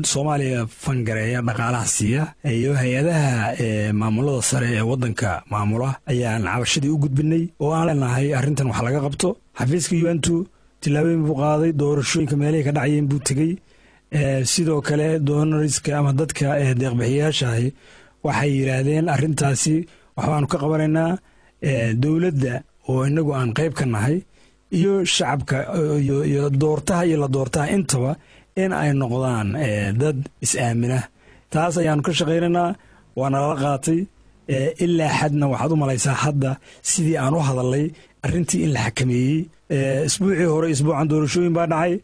Soomaaliya fangareeya, dhaqaalaha siiya, iyo hay-adaha maamulada sare ee waddanka maamula ayaan cabashadii u gudbinay oo aan leenahay arrintan wax laga qabto. Xafiiska UN-tu tillaabooyin buu qaaday, doorashooyinka meelihii ka dhacayeen buu tegey. Sidoo kale donorska ama dadka deeqbixiyaashahi waxay yidhaahdeen arrintaasi waxbaanu ka qabanaynaa. Dowladda oo inagu aan qayb ka nahay iyo shacabka iyo doortaha iyo la doortaha intaba in ay noqdaan dad is-aamina, taas ayaanu ka shaqaynaynaa, waana lala qaatay. Ilaa xadna waxaad u malaysaa hadda sidii aan u hadalay arrintii in la xakameeyey. Isbuucii hore, isbuucan doorashooyin baa dhacay.